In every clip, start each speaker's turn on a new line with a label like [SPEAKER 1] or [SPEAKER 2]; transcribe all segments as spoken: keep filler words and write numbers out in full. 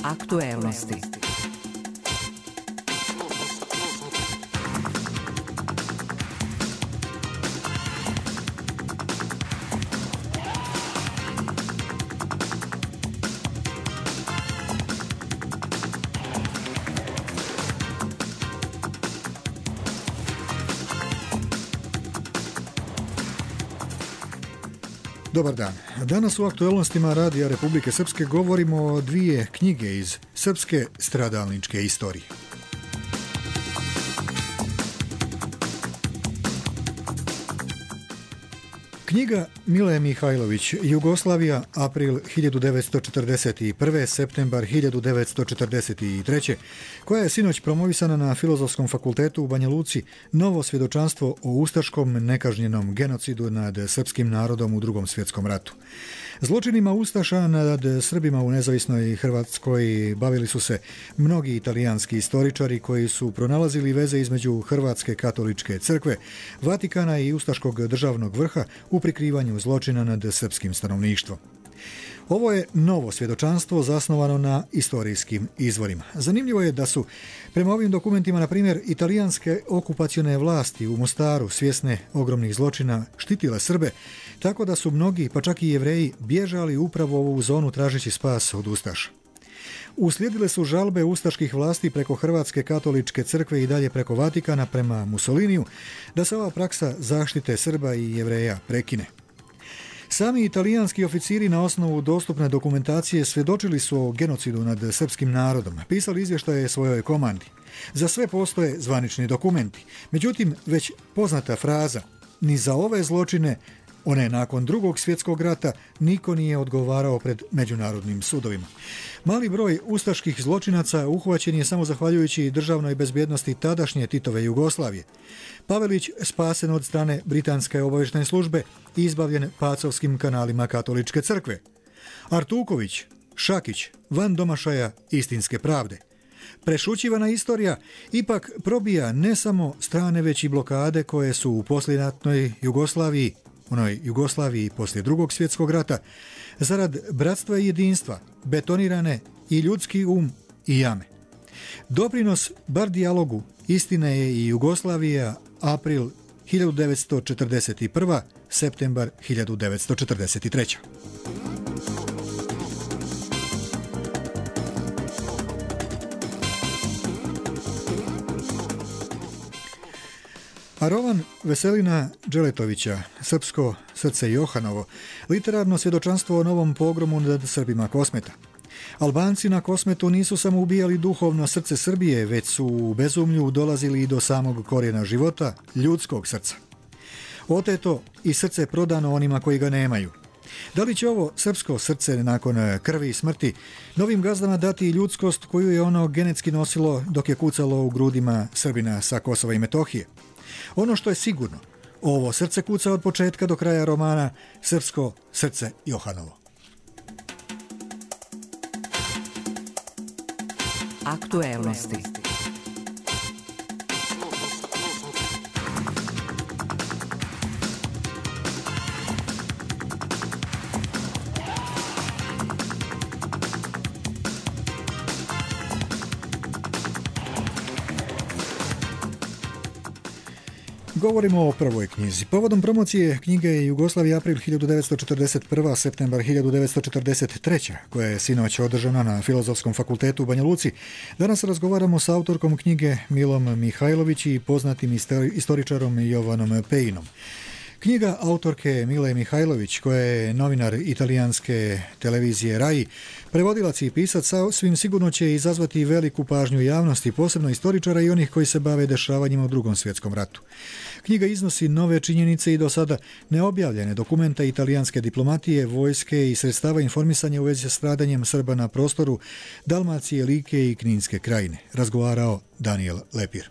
[SPEAKER 1] Aktuelnosti.
[SPEAKER 2] Dobar dan. Danas u aktuelnostima Radija Republike Srpske govorimo o dvije knjige iz srpske stradalničke istorije. Knjiga Mile Mihajlović, Jugoslavija, april hiljadu devetsto četrdeset prve. septembar hiljadu devetsto četrdeset treće. koja je sinoć promovisana na Filozofskom fakultetu u Banja Luci, novo svjedočanstvo o ustaškom nekažnjenom genocidu nad srpskim narodom u Drugom svjetskom ratu. Zločinima ustaša nad Srbima u nezavisnoj Hrvatskoj bavili su se mnogi italijanski istoričari koji su pronalazili veze između Hrvatske katoličke crkve, Vatikana i ustaškog državnog vrha u prikrivanju zločina nad srpskim stanovništvom. Ovo je novo svjedočanstvo zasnovano na istorijskim izvorima. Zanimljivo je da su prema ovim dokumentima, na primjer, italijanske okupacione vlasti u Mostaru, svjesne ogromnih zločina, štitile Srbe, tako da su mnogi, pa čak i Jevreji, bježali upravo u ovu zonu tražeći spas od ustaša. Uslijedile su žalbe ustaških vlasti preko Hrvatske katoličke crkve i dalje preko Vatikana prema Mussoliniju da se ova praksa zaštite Srba i Jevreja prekine. Sami italijanski oficiri na osnovu dostupne dokumentacije svjedočili su o genocidu nad srpskim narodom, pisali izvještaje svojoj komandi. Za sve postoje zvanični dokumenti. Međutim, već poznata fraza, ni za ove zločine, one nakon Drugog svjetskog rata, niko nije odgovarao pred međunarodnim sudovima. Mali broj ustaških zločinaca uhvaćen je samo zahvaljujući državnoj bezbjednosti tadašnje Titove Jugoslavije. Pavelić spasen od strane britanske obavještajne službe i izbavljen pacovskim kanalima katoličke crkve. Artuković, Šakić, van domašaja istinske pravde. Prešućivana istorija ipak probija ne samo strane, već i blokade koje su u poslijeratnoj Jugoslaviji, onoj Jugoslaviji poslije Drugog svjetskog rata, zarad bratstva i jedinstva, betonirane i ljudski um i jame. Doprinos bar dijalogu istine je i Jugoslavija, april hiljadu devetsto četrdeset prva. septembar hiljadu devetsto četrdeset treća. A roman Veselina Đeletovića, Srpsko srce Johanovo, literarno svjedočanstvo o novom pogromu nad Srbima Kosmeta. Albanci na Kosmetu nisu samo ubijali duhovno srce Srbije, već su u bezumlju dolazili i do samog korijena života, ljudskog srca. Oteto i srce prodano onima koji ga nemaju. Da li će ovo srpsko srce nakon krvi i smrti novim gazdama dati i ljudskost koju je ono genetski nosilo dok je kucalo u grudima Srbina sa Kosova i Metohije? Ono što je sigurno, ovo srce kuca od početka do kraja romana Srpsko srce Johanovo.
[SPEAKER 1] Aktuelnosti.
[SPEAKER 2] Govorimo o prvoj knjizi. Povodom promocije knjige Jugoslavija, april hiljadu devetsto četrdeset prva. septembar hiljadu devetsto četrdeset treća. koja je sinoć održana na Filozofskom fakultetu u Banja Luci, danas razgovaramo sa autorkom knjige Milom Mihajlović i poznatim istoričarom Jovanom Pejinom. Knjiga autorke Mile Mihajlović, koja je novinar italijanske televizije Rai, prevodilac i pisac, svim sigurno će izazvati veliku pažnju javnosti, posebno istoričara i onih koji se bave dešavanjima u Drugom svjetskom ratu. Knjiga iznosi nove činjenice i do sada neobjavljene dokumenta italijanske diplomatije, vojske i sredstava informisanja u vezi sa stradanjem Srba na prostoru Dalmacije, Like i Kninske krajine, razgovarao Daniel Lepir.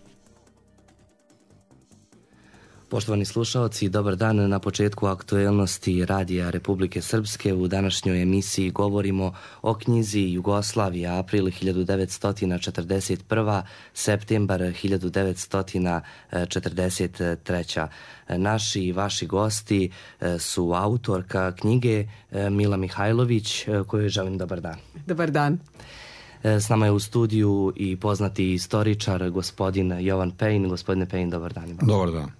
[SPEAKER 3] Poštovani slušaoci, dobar dan. Na početku aktuelnosti Radija Republike Srpske u današnjoj emisiji govorimo o knjizi Jugoslavija, april hiljadu devetsto četrdeset prva. septembar hiljadu devetsto četrdeset treća. Naši i vaši gosti su autorka knjige Mila Mihajlović, kojoj želim dobar dan.
[SPEAKER 4] Dobar dan.
[SPEAKER 3] S nama je u studiju i poznati istoričar, gospodin Jovan Pejin. Gospodine Pejin, dobar dan.
[SPEAKER 4] Dobar dan.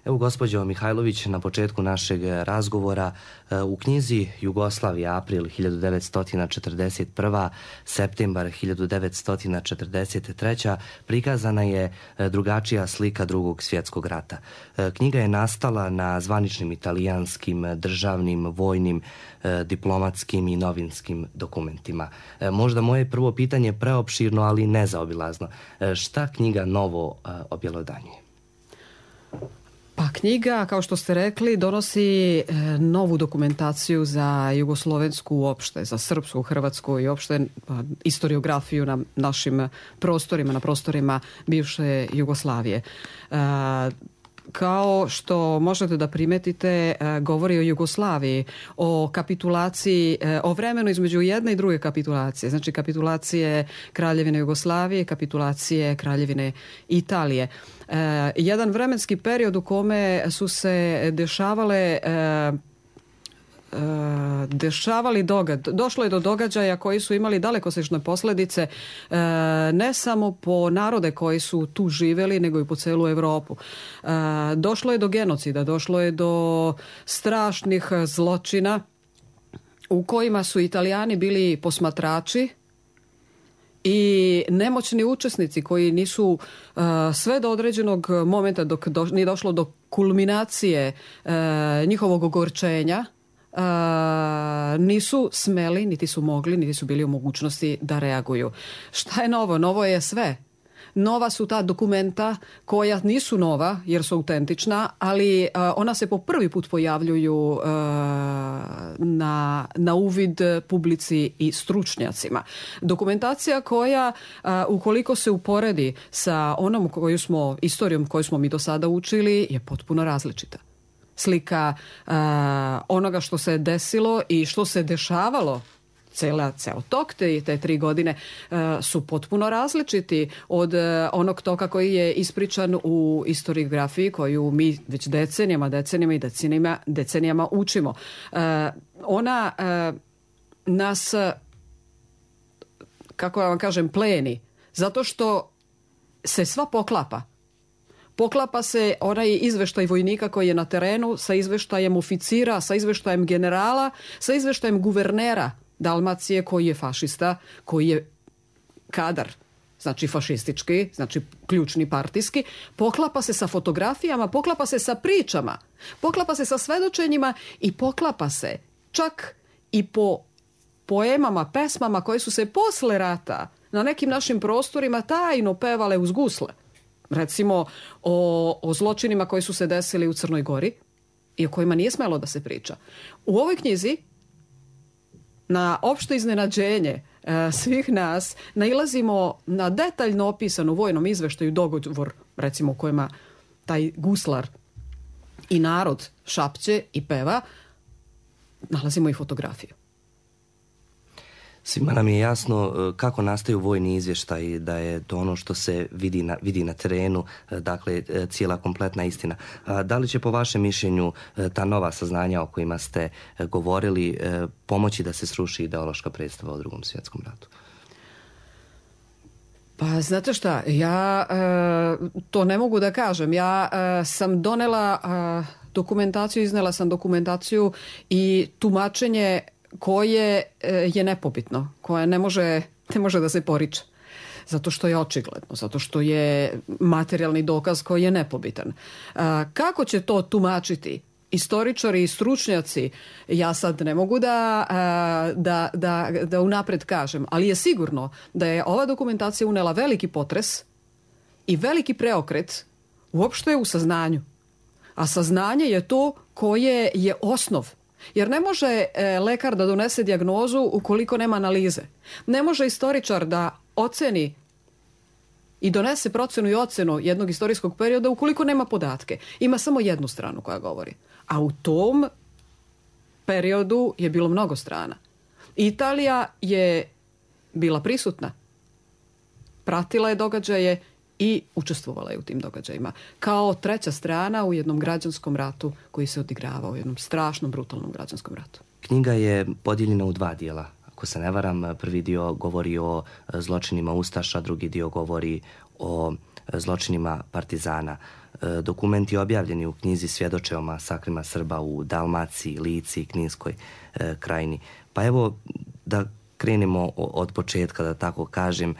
[SPEAKER 3] Evo, gospođo Mihajlović, na početku našeg razgovora u knjizi Jugoslavija, april hiljadu devetsto četrdeset prva, septembar hiljadu devetsto četrdeset treća prikazana je drugačija slika Drugog svjetskog rata. Knjiga je nastala na zvaničnim italijanskim, državnim, vojnim, diplomatskim i novinskim dokumentima. Možda moje prvo pitanje je preopširno, ali nezaobilazno. Šta knjiga novo objelodanjuje?
[SPEAKER 5] Pa knjiga, kao što ste rekli, donosi novu dokumentaciju za jugoslovensku uopšte, za srpsku, hrvatsku i uopšte istoriografiju na našim prostorima, na prostorima bivše Jugoslavije. Kao što možete da primetite, govori o Jugoslaviji, o kapitulaciji, o vremenu između jedne i druge kapitulacije. Znači kapitulacije Kraljevine Jugoslavije, kapitulacije Kraljevine Italije. Jedan vremenski period u kome su se dešavale dešavali događaj. Došlo je do događaja koji su imali dalekosežne posljedice ne samo po narode koji su tu živjeli, nego i po celu Evropu. Došlo je do genocida, došlo je do strašnih zločina u kojima su Italijani bili posmatrači i nemoćni učesnici koji nisu uh, sve do određenog momenta dok do, nije došlo do kulminacije uh, njihovog ogorčenja, Uh, nisu smeli, niti su mogli, niti su bili u mogućnosti da reaguju. Šta je novo? Novo je sve. Nova su ta dokumenta koja nisu nova jer su autentična, ali uh, ona se po prvi put pojavljuju uh, na, na uvid publici i stručnjacima. Dokumentacija koja, uh, ukoliko se uporedi sa onom koju smo, istorijom koju smo mi do sada učili, je potpuno različita. Slika uh, onoga što se desilo i što se dešavalo cela, ceo tok te, te tri godine uh, su potpuno različiti od uh, onog toka koji je ispričan u historiografiji koju mi već decenijama, decenijama i decenijama, decenijama učimo. Uh, ona uh, nas, kako ja vam kažem, pleni, zato što se sva poklapa. Poklapa se onaj izveštaj vojnika koji je na terenu sa izveštajem oficira, sa izveštajem generala, sa izveštajem guvernera Dalmacije koji je fašista, koji je kadar, znači fašistički, znači ključni partijski. Poklapa se sa fotografijama, poklapa se sa pričama, poklapa se sa svedočenjima i poklapa se čak i po poemama, pesmama koje su se posle rata na nekim našim prostorima tajno pevale uz gusle. Recimo o, o zločinima koji su se desili u Crnoj Gori i o kojima nije smelo da se priča. U ovoj knjizi, na opšte iznenađenje e, svih nas, nailazimo na detaljno opisanu u vojnom izveštaju dogovor, recimo u kojima taj guslar i narod šapće i peva, nalazimo i fotografiju.
[SPEAKER 3] Svima nam je jasno kako nastaju vojni izvještaji, da je to ono što se vidi na, vidi na terenu, dakle cijela kompletna istina. Da li će po vašem mišljenju ta nova saznanja o kojima ste govorili pomoći da se sruši ideološka predstava o Drugom svjetskom ratu?
[SPEAKER 5] Pa znate šta, ja e, to ne mogu da kažem. Ja e, sam donela e, dokumentaciju, iznela sam dokumentaciju i tumačenje koje je nepobitno, koje ne može, ne može da se poriče. Zato što je očigledno, zato što je materijalni dokaz koji je nepobitan. Kako će to tumačiti istoričari i stručnjaci, ja sad ne mogu da, da, da, da unapred kažem, ali je sigurno da je ova dokumentacija unela veliki potres i veliki preokret uopšte u saznanju. A saznanje je to koje je osnov. Jer ne može e, lekar da donese dijagnozu ukoliko nema analize. Ne može istoričar da oceni i donese procenu i ocenu jednog istorijskog perioda ukoliko nema podatke. Ima samo jednu stranu koja govori. A u tom periodu je bilo mnogo strana. Italija je bila prisutna. Pratila je događaje i učestvovala je u tim događajima. Kao treća strana u jednom građanskom ratu koji se odigravao, u jednom strašnom, brutalnom građanskom ratu.
[SPEAKER 3] Knjiga je podijeljena u dva dijela. ako se ne varam, prvi dio govori o zločinima Ustaša, drugi dio govori o zločinima partizana. Dokumenti objavljeni u knjizi svjedoče o masakrima Srba u Dalmaciji, Lici i Kninskoj krajini. Pa evo da krenemo od početka, da tako kažem,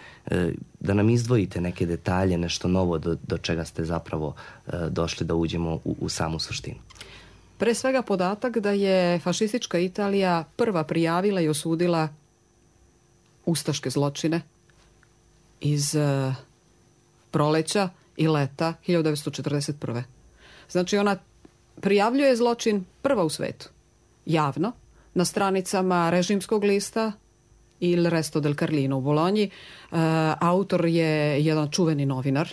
[SPEAKER 3] da nam izdvojite neke detalje, nešto novo do, do čega ste zapravo došli da uđemo u, u samu suštinu.
[SPEAKER 5] Pre svega podatak da je fašistička Italija prva prijavila i osudila ustaške zločine iz uh, proleća i leta hiljadu devetsto četrdeset prve. Znači ona prijavljuje zločin prva u svetu, javno, na stranicama režimskog lista Il Resto del Carlino u Bolonji. Uh, autor je jedan čuveni novinar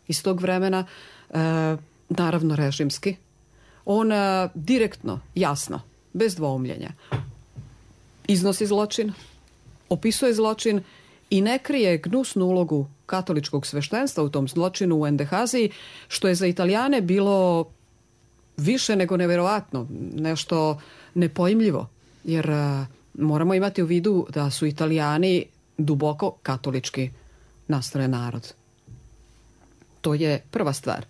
[SPEAKER 5] iz tog vremena, uh, naravno režimski. On uh, direktno, jasno, bez dvoumljenja, iznosi zločin, opisuje zločin i ne krije gnusnu ulogu katoličkog sveštenstva u tom zločinu u Endehaziji, što je za Italijane bilo više nego neverovatno, nešto nepojmljivo, jer uh, moramo imati u vidu da su Italijani duboko katolički nastrojen narod. To je prva stvar.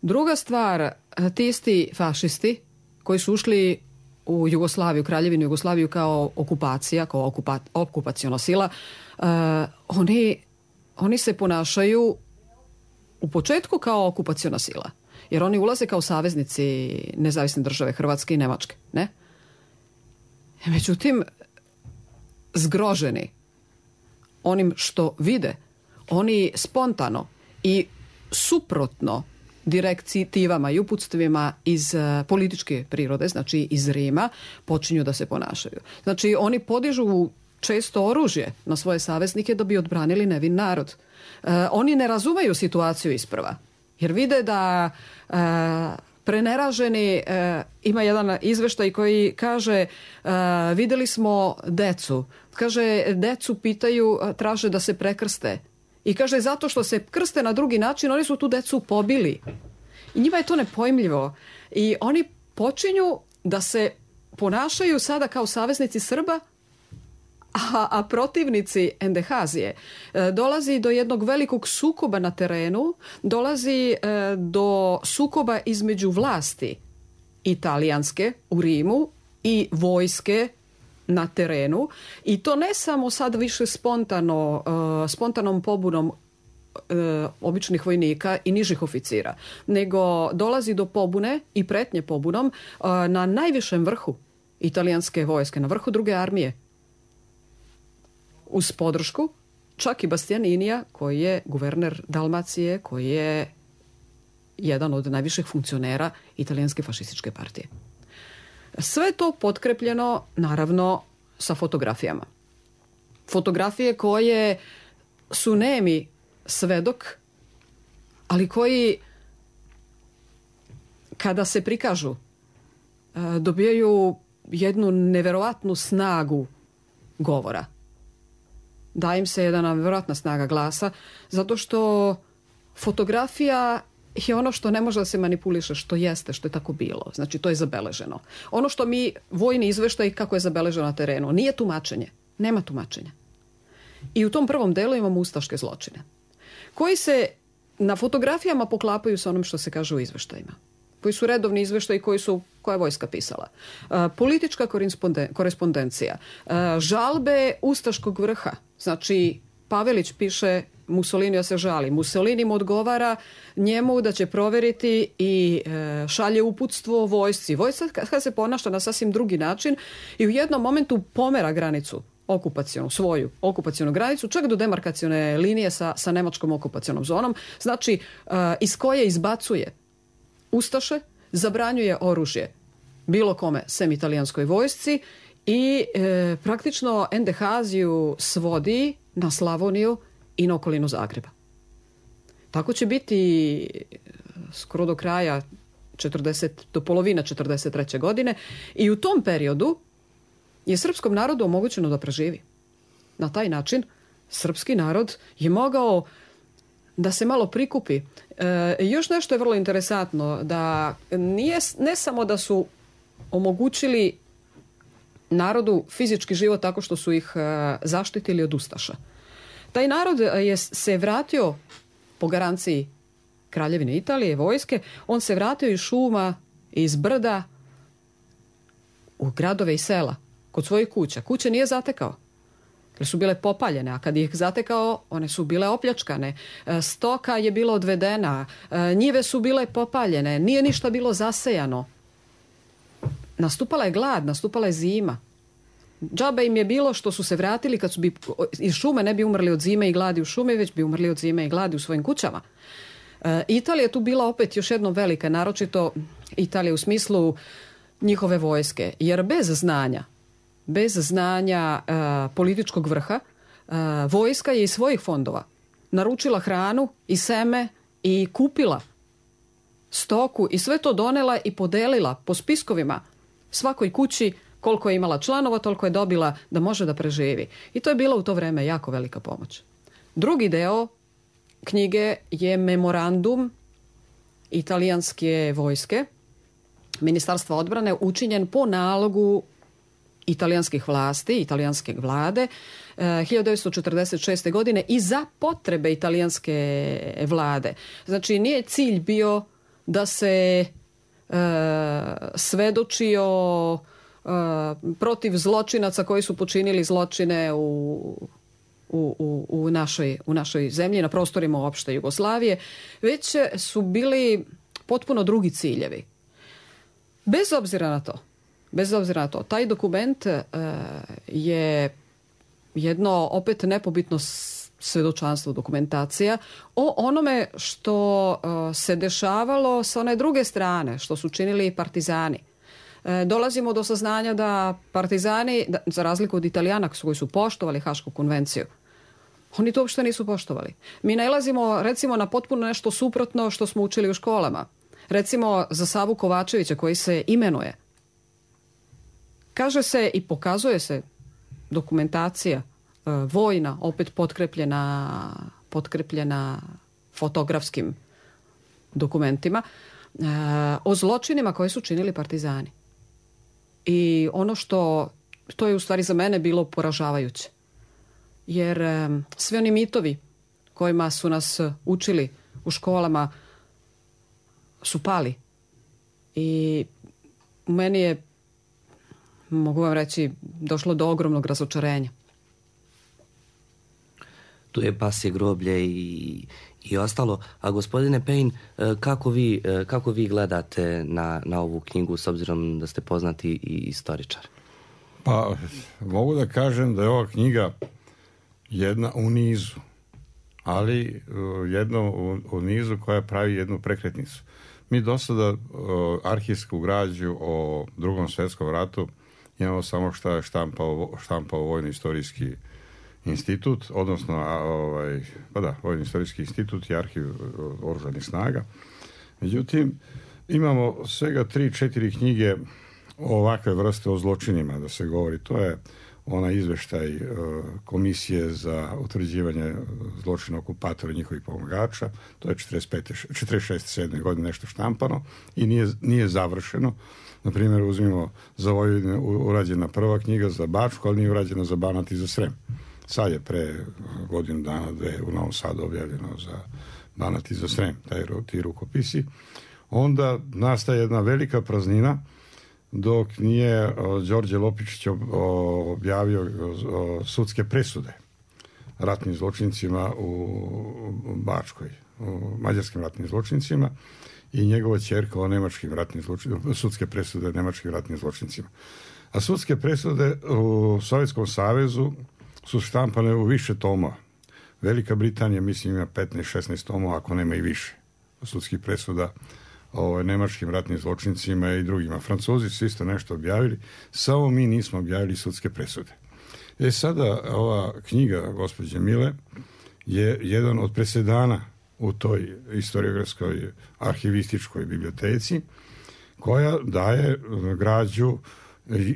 [SPEAKER 5] Druga stvar, ti isti fašisti koji su ušli u Jugoslaviju, Kraljevinu Jugoslaviju kao okupacija, kao okupa, okupaciona sila, uh, oni, oni se ponašaju u početku kao okupaciona sila. Jer oni ulaze kao saveznici nezavisne države Hrvatske i Nemačke. Ne? Međutim, zgroženi onim što vide, oni spontano i suprotno direktivama i uputstvima iz političke prirode, znači iz Rima, počinju da se ponašaju. Znači oni podižu često oružje na svoje saveznike da bi odbranili nevin narod. E, oni ne razumeju situaciju isprva, jer vide da e, preneraženi, e, ima jedan izveštaj koji kaže e, videli smo decu. Kaže, decu pitaju, traže da se prekrste. I kaže, zato što se krste na drugi način, oni su tu decu pobili. I njima je to nepojmljivo. I oni počinju da se ponašaju sada kao saveznici Srba, a, a protivnici Endehazije. E, dolazi do jednog velikog sukoba na terenu, dolazi e, do sukoba između vlasti italijanske u Rimu i vojske na terenu, i to ne samo sad više spontano, uh, spontanom pobunom uh, običnih vojnika i nižih oficira, nego dolazi do pobune i pretnje pobunom uh, na najvišem vrhu italijanske vojske, na vrhu druge armije, uz podršku čak i Bastianinija, koji je guverner Dalmacije, koji je jedan od najviših funkcionera italijanske fašističke partije. Sve to potkrepljeno, naravno, sa fotografijama. Fotografije koje su nemi svedok, ali koji, kada se prikažu, dobijaju jednu neverovatnu snagu govora. Da im se jedna neverovatna snaga glasa, zato što fotografija je ono što ne može da se manipuliše, što jeste, što je tako bilo. Znači, to je zabeleženo. Ono što mi, vojni izveštaj kako je zabeleženo na terenu, nije tumačenje. Nema tumačenja. I u tom prvom delu imamo ustaške zločine, koji se na fotografijama poklapaju sa onom što se kaže u izveštajima, koji su redovni izveštaji koji su, koja je vojska pisala. Uh, politička korespondencija, uh, žalbe ustaškog vrha. Znači, Pavelić piše Mussolinija se žali. Mussolini mu odgovara njemu da će proveriti i e, šalje uputstvo vojsci. Vojska kada se ponaša na sasvim drugi način i u jednom momentu pomera granicu okupacionu, svoju okupacionu granicu, čak do demarkacione linije sa, sa nemačkom okupacionom zonom. Znači, e, iz koje izbacuje ustaše, zabranjuje oružje bilo kome, sem italijanskoj vojsci, i e, praktično Endehaziju svodi na Slavoniju i na okolinu Zagreba. Tako će biti skoro do kraja četrdeset, do polovine četrdeset treće godine, i u tom periodu je srpskom narodu omogućeno da preživi. Na taj način srpski narod je mogao da se malo prikupi. E, još nešto je vrlo interesantno, da nije, ne samo da su omogućili narodu fizički život tako što su ih zaštitili od ustaša. Taj narod je se vratio po garanciji Kraljevine Italije, vojske, on se vratio iz šuma, iz brda u gradove i sela, kod svojih kuća. Kuće nije zatekao, jer su bile popaljene, a kad ih zatekao, one su bile opljačkane. Stoka je bila odvedena, njive su bile popaljene, nije ništa bilo zasejano. Nastupala je glad, nastupala je zima. Džabe im je bilo što su se vratili kad su bi iz šume ne bi umrli od zime i gladi u šumi, već bi umrli od zime i gladi u svojim kućama. E, Italija je tu bila opet još jednom velika, naročito Italija u smislu njihove vojske. Jer bez znanja, bez znanja e, političkog vrha, e, vojska je iz svojih fondova naručila hranu i seme i kupila stoku i sve to donela i podelila po spiskovima svakoj kući. Koliko je imala članova, toliko je dobila da može da preživi. I to je bila u to vreme jako velika pomoć. Drugi deo knjige je memorandum italijanske vojske, Ministarstva odbrane, učinjen po nalogu italijanskih vlasti, italijanske vlade, hiljadu devetsto četrdeset šeste. godine i za potrebe italijanske vlade. Znači, nije cilj bio da se e, svedoči o protiv zločinaca koji su počinili zločine u, u, u, u, našoj, u našoj zemlji, na prostorima uopšte Jugoslavije, već su bili potpuno drugi ciljevi. Bez obzira na to, bez obzira na to, taj dokument uh, je jedno opet nepobitno svedočanstvo, dokumentacija o onome što uh, se dešavalo sa one druge strane, što su činili partizani. Dolazimo do saznanja da partizani, da, za razliku od Italijana koji su poštovali Hašku konvenciju, oni to uopšte nisu poštovali. Mi nailazimo recimo na potpuno nešto suprotno što smo učili u školama. Recimo za Savu Kovačevića koji se imenuje. Kaže se i pokazuje se dokumentacija e, vojna, opet potkrepljena, potkrepljena fotografskim dokumentima, e, o zločinima koje su činili partizani. I ono što, to je u stvari za mene bilo poražavajuće. Jer um, sve oni mitovi kojima su nas učili u školama su pali. I u meni je, mogu vam reći, došlo do ogromnog razočarenja.
[SPEAKER 3] Tu je pasje groblje i, i ostalo. A gospodine Payne, kako vi, kako vi gledate na, na ovu knjigu s obzirom da ste poznati i istoričar?
[SPEAKER 4] Pa mogu da kažem da je ova knjiga jedna u nizu, ali jedno u, u nizu koja pravi jednu prekretnicu. Mi do sada arhivsku građu o Drugom svjetskom ratu imamo samo šta je štampao, štampao Vojni istorijski institut, odnosno ovaj, pa da, Vojni istorijski institut i arhiv oružanih snaga. Međutim, imamo svega tri, četiri knjige o ovakve vrste o zločinima da se govori. To je onaj izveštaj uh, Komisije za utvrđivanje zločina okupatora i njihovih pomagača. To je četrdeset pete, četrdeset šeste sedme godine nešto štampano i nije, nije završeno. Na primjer, uzmimo za Vojvodinu urađena prva knjiga za Bačku, ali nije urađena za Banat i za Srem. Sad je pre godinu dana dve u Novom Sadu objavljeno za Banat i za Srem, taj, ti rukopisi. Onda nastaje jedna velika praznina dok nije Đorđe Lopičić objavio sudske presude ratnim zločincima u Bačkoj, u mađarskim ratnim zločincima i njegova ćerka o nemačkim ratnim zločincima, sudske presude nemačkim ratnim zločincima. A sudske presude u Sovjetskom savezu su štampane u više toma. Velika Britanija, mislim, ima petnaest šesnaest tomova, ako nema i više sudskih presuda o nemačkim ratnim zločincima i drugima. Francuzi su isto nešto objavili, samo mi nismo objavili sudske presude. E sada, ova knjiga gospođe Mile je jedan od presedana u toj historiografskoj arhivističkoj biblioteci koja daje građu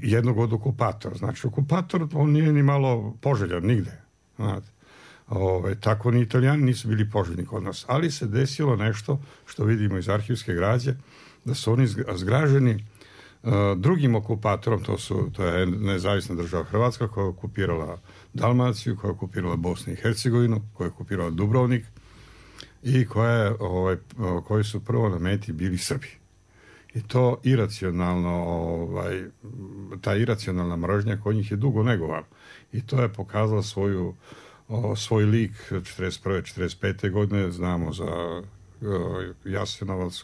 [SPEAKER 4] jednog od okupatora. Znači, okupator, on nije ni malo poželjan nigde. Znate. Ove, tako ni Italijani nisu bili poželjni kod nas. Ali se desilo nešto što vidimo iz arhivske građe, da su oni zgraženi drugim okupatorom, to, su, to je nezavisna država Hrvatska koja je okupirala Dalmaciju, koja je okupirala Bosnu i Hercegovinu, koja je okupirala Dubrovnik i koja je, ovaj, koji su prvo na meti bili Srbi. I to iracionalno, ovaj, ta iracionalna mržnja kod njih je dugo negovana. I to je pokazala svoju, o, svoj lik četrdeset prve četrdeset pete godine, znamo za Jasenovac,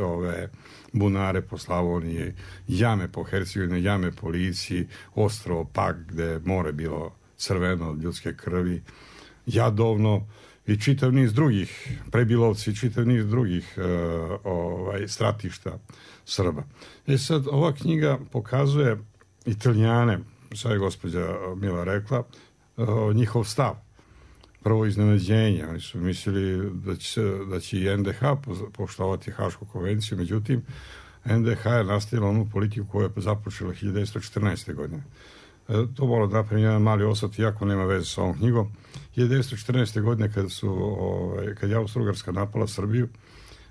[SPEAKER 4] ove bunare po Slavoniji, jame po Hercegovini, jame po Lici, Ostrovo Pag, gde je more bilo crveno od ljudske krvi, Jadovno i čitav niz drugih, Prebilovci, čitav niz drugih uh, ovaj, stratišta Srba. I sad ova knjiga pokazuje Italijane, sad je gospođa Mila rekla, uh, njihov stav. Prvo iznenađenje, oni su mislili da će, da će i en de ha poštovati Hašku konvenciju, međutim en de ha je nastavila onu politiku koju je započela hiljadu devetsto četrnaeste. godine. E, to moram da napravim jedan mali osvrt, iako nema veze sa ovom knjigom. hiljadu devetsto četrnaeste. godine kad, su, ovaj, kad je Austro-Ugarska napala Srbiju,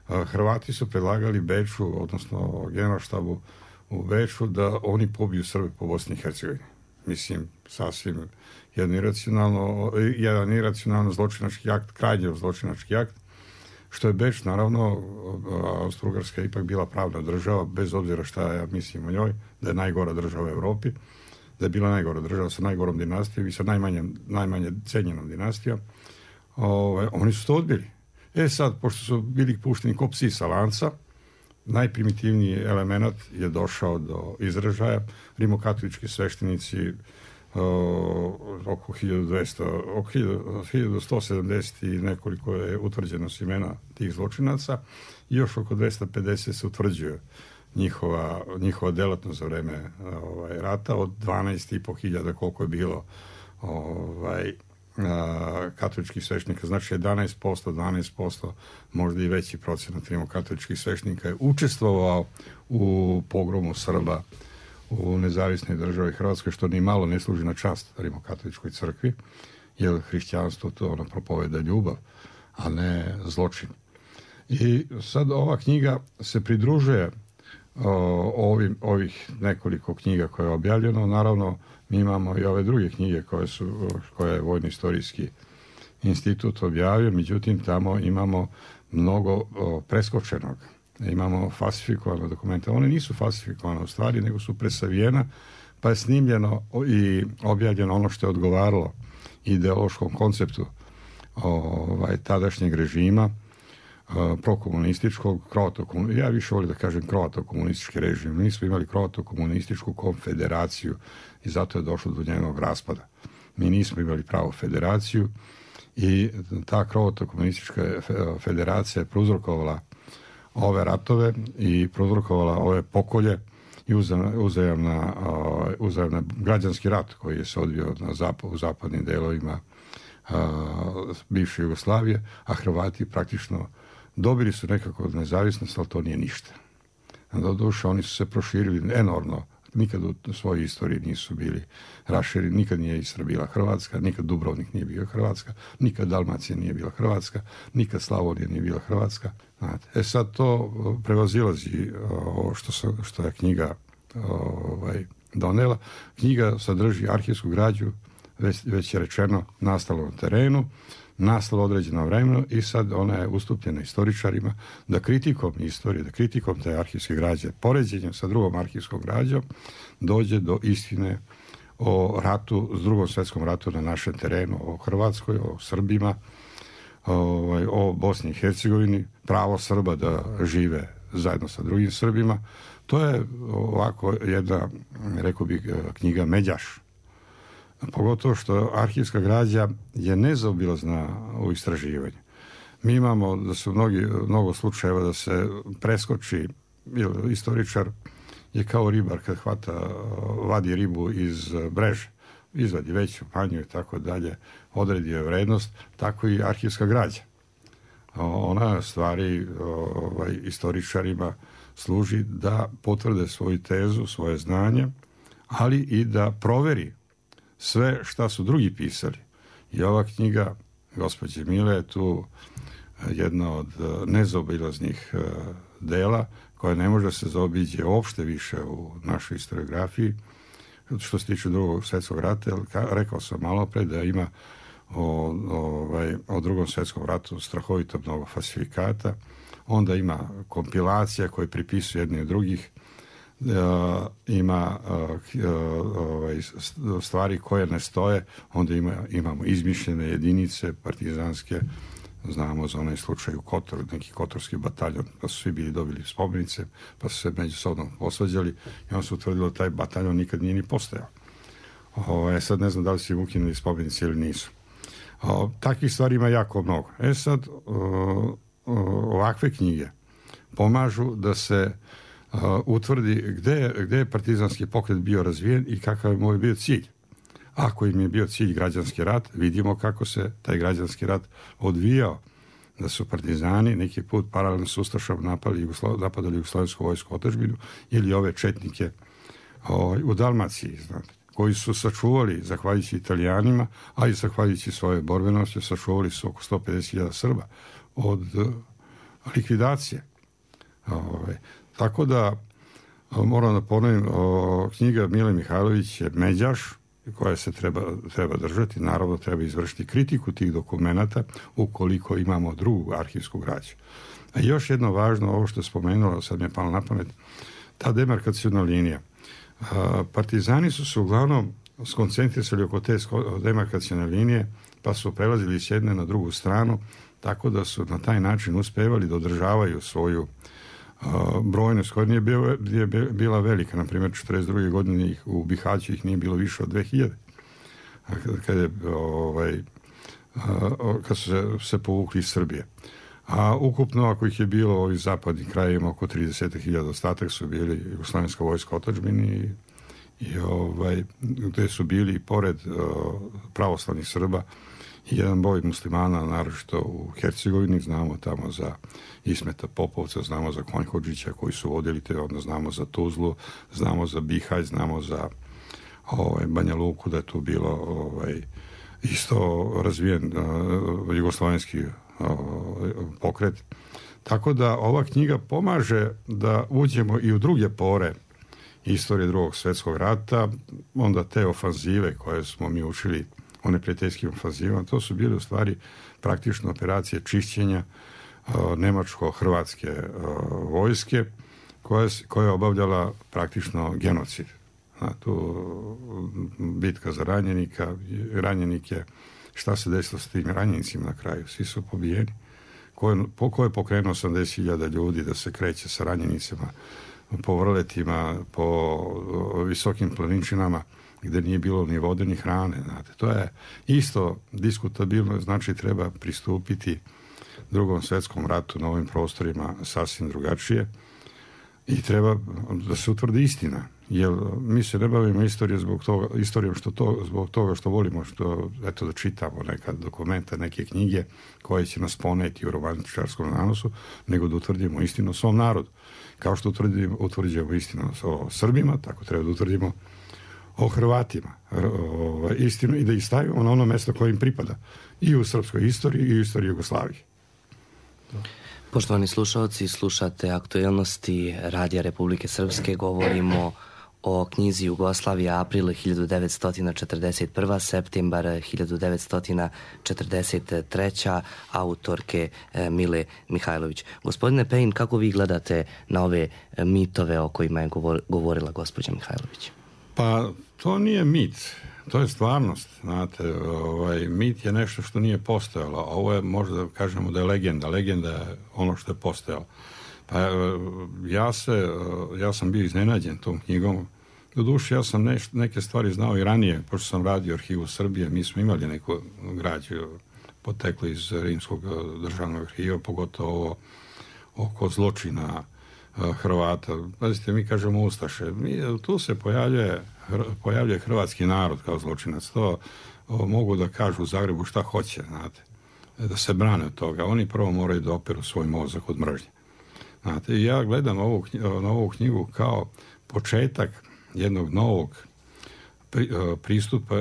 [SPEAKER 4] Hrvati su predlagali Beču, odnosno generalštabu u Beču, da oni pobiju Srbe po Bosni i Hercegovini. Mislim, sasvim jedan iracionalno, jedan iracionalno zločinački akt, krajnje zločinački akt, što je Beč, naravno, Austro-Ugarska je ipak bila pravna država, bez obzira šta ja mislim o njoj, da je najgora država u Evropi, da je bila najgora država sa najgorom dinastijom i sa najmanje, najmanje cenjenom dinastijom. Ove, oni su to odbili. E sad, pošto su bili pušteni ko psi sa lanca, najprimitivniji element je došao do izražaja. Rimokatolički sveštenici uh, oko hiljadu dvesta, oko hiljadu sto sedamdeset i nekoliko je utvrđeno s imena tih zločinaca i još oko dvesta pedeset se utvrđuje njihova, njihova delatnost za vreme ovaj, rata od dvanaest i po hiljada koliko je bilo ovaj, katoličkih sveštenika, znači jedanaest posto, dvanaest posto, možda i veći procenat rimokatoličkih sveštenika je učestvovao u pogromu Srba u nezavisnoj državi Hrvatskoj, što ni malo ne služi na čast rimokatoličkoj crkvi, jer hrišćanstvo to ono propoveda ljubav, a ne zločin. I sad ova knjiga se pridružuje o, ovim, ovih nekoliko knjiga koje je objavljeno. Naravno, mi imamo i ove druge knjige koje su, koje je Vojno-istorijski institut objavio, međutim tamo imamo mnogo o, preskočenog. Imamo falsifikovane dokumente. One nisu falsifikovane u stvari, nego su presavijena, pa je snimljeno i objavljeno ono što je odgovaralo ideološkom konceptu ovaj, tadašnjeg režima, prokomunističkog, kroatokomunističkog, ja više volim da kažem kroatokomunistički režim. Mi smo imali kroatokomunističku konfederaciju i zato je došlo do njenog raspada. Mi nismo imali pravu federaciju i ta kroatokomunistička federacija je prouzrokovala ove ratove i prouzrokovala ove pokolje i uzajamna, uzajamna građanski rat koji je se odvio na zapad, u zapadnim delovima bivše Jugoslavije, a Hrvati praktično dobili su nekako nezavisnost, ali to nije ništa. Doduše, oni su se proširili enormno. Nikad u svojoj istoriji nisu bili rašireni, nikad nije Istra bila Hrvatska, nikad Dubrovnik nije bio Hrvatska, nikad Dalmacija nije bila Hrvatska, nikad Slavonija nije bila Hrvatska. Znate. E sad to prevazilazi ovo što, se, što je knjiga ovaj, donela. Knjiga sadrži arhivsku građu, već, već je rečeno, nastalo na terenu, nastalo određeno vremeno i sad ona je ustupljena istoričarima da kritikom istorije, da kritikom te arhivske građe, poređenjem sa drugom arhivskom građom, dođe do istine o ratu, s drugom svjetskom ratu na našem terenu, o Hrvatskoj, o Srbima, o, o Bosni i Hercegovini, pravo Srba da žive zajedno sa drugim Srbima. To je ovako jedna, rekao bih, knjiga međaš. Pogotovo što arhivska građa je nezaobilazna u istraživanju. Mi imamo da su mnogi, mnogo slučajeva da se preskoči, istoričar je kao ribar kad hvata, vadi ribu iz mreže, izvadi veću, manju i tako dalje, odredi je vrednost, tako i arhivska građa. Ona stvari ovaj, istoričarima služi da potvrde svoju tezu, svoje znanje, ali i da proveri sve šta su drugi pisali. I ova knjiga gospođe Mile je tu jedna od nezaobilaznih dela koja ne može se zaobiđe uopšte više u našoj historiografiji, što se tiče drugog svjetskog rata, jer rekao sam malo pre da ima o, ovaj, o drugom svjetskom ratu strahovito mnogo falsifikata, onda ima kompilacija koje pripisuju jedni od drugih, Uh, ima uh, ovaj, stvari koje ne stoje, onda ima, imamo izmišljene jedinice partizanske, znamo za onaj slučaj u Kotoru, neki kotorski bataljon, pa su svi bili dobili spomenice, pa su se međusobno posvađali i on se utvrdilo da taj bataljon nikad nije ni postojao. O, sad ne znam da li su im ukinuli spomenice ili nisu. O, takvih stvari ima jako mnogo. E sad, o, o, ovakve knjige pomažu da se Uh, utvrdi gde, gde je partizanski pokret bio razvijen i kakav je moj bio cilj. Ako im je bio cilj građanski rat, vidimo kako se taj građanski rat odvijao. Da su partizani neki put paralelno s ustašama napali Jugoslo, napadali jugoslovensku vojsku otadžbinu ili ove četnike o, u Dalmaciji, znate, koji su sačuvali, zahvaljujući Italijanima, a i zahvaljujući svoje borbenosti, sačuvali su oko sto pedeset hiljada Srba od uh, likvidacije. Ove, Tako da, moram da ponovim, o, knjiga Mile Mihajlović je međaš koja se treba, treba držati. Naravno, treba izvršiti kritiku tih dokumenata ukoliko imamo drugu arhivsku građu. A još jedno važno, ovo što je spomenulo, sad mi je palo na pamet, ta demarkacijna linija. A, partizani su se uglavnom skoncentrisali oko te demarkacijne linije, pa su prelazili s jedne na drugu stranu, tako da su na taj način uspevali da održavaju svoju Uh, brojnost koja nije, bio, nije bila velika, na primjer četrdeset druge godine ih, u Bihaću ih nije bilo više od dve hiljade. Kad, je, ovaj, uh, kad su se, se povukli iz Srbije. A ukupno, ako ih je bilo u ovih zapadnih krajima, oko trideset hiljada, ostatak su bili jugoslovenska vojska otadžbini i, i ovaj, gde su bili pored uh, pravoslavnih Srba i jedan broj muslimana, naročito u Hercegovini, znamo tamo za Ismeta Popovca, znamo za Konjhodžića koji su vodili te, onda znamo za Tuzlu, znamo za Bihać, znamo za ovaj, Banja Luku, da je tu bilo ovaj, isto razvijen uh, jugoslovenski uh, pokret. Tako da ova knjiga pomaže da uđemo i u druge pore istorije drugog svjetskog rata, onda te ofanzive koje smo mi učili o neprijateljskim ofanzivama, to su bile u stvari praktično operacije čišćenja uh, nemačko-hrvatske uh, vojske koja, koja je obavljala praktično genocid. A, tu bitka za ranjenika, ranjenike, šta se desilo s tim ranjenicima na kraju? Svi su pobijeni. Ko je, po, ko je pokrenuo osamdeset hiljada ljudi da se kreće sa ranjenicima po vrletima, po visokim planinčinama gde nije bilo ni vode ni hrane. Znate. To je isto diskutabilno, znači treba pristupiti drugom svjetskom ratu na ovim prostorima sasvim drugačije i treba da se utvrdi istina. Jer mi se ne bavimo istorijom zbog toga, istorijom što to, zbog toga što volimo, što eto da čitamo neka dokumenta, neke knjige koje će nas poneti u romantičarskom nanosu, nego da utvrdimo istinu o svom narodu. Kao što utvrdimo, utvrđujemo istinu o Srbima, tako treba da utvrdimo o Hrvatima o, istinu i da ih stavimo na ono mesto koje im pripada i u srpskoj istoriji i u istoriji Jugoslavije.
[SPEAKER 3] Poštovani slušalci, slušate aktuelnosti Radija Republike Srpske, govorimo o knjizi Jugoslavija april hiljadu devetsto četrdeset prva septembar hiljadu devetsto četrdeset treća autorke Mile Mihajlović. Gospodine Pejin, kako vi gledate na ove mitove o kojima je govorila gospođa Mihajlović?
[SPEAKER 4] Pa to nije mit, to je stvarnost. Znate, ovaj, mit je nešto što nije postojalo, a ovo je možda kažemo da je legenda. Legenda je ono što je postojalo. Pa ja, se, ja sam bio iznenađen tom knjigom. Doduše, ja sam neš, neke stvari znao i ranije, pošto sam radio u Arhivu Srbije, mi smo imali neku građu poteklo iz Rimskog državnog arhiva, pogotovo ovo oko zločina Hrvata. Pazite, mi kažemo Ustaše. Mi, tu se pojavljuje, pojavljuje hrvatski narod kao zločinac. To o, mogu da kažu u Zagrebu šta hoće, znate. Da se brane od toga. Oni prvo moraju da operu svoj mozak od mržnje. Znate, ja gledam ovu, na ovu knjigu kao početak jednog novog pri, pristupa,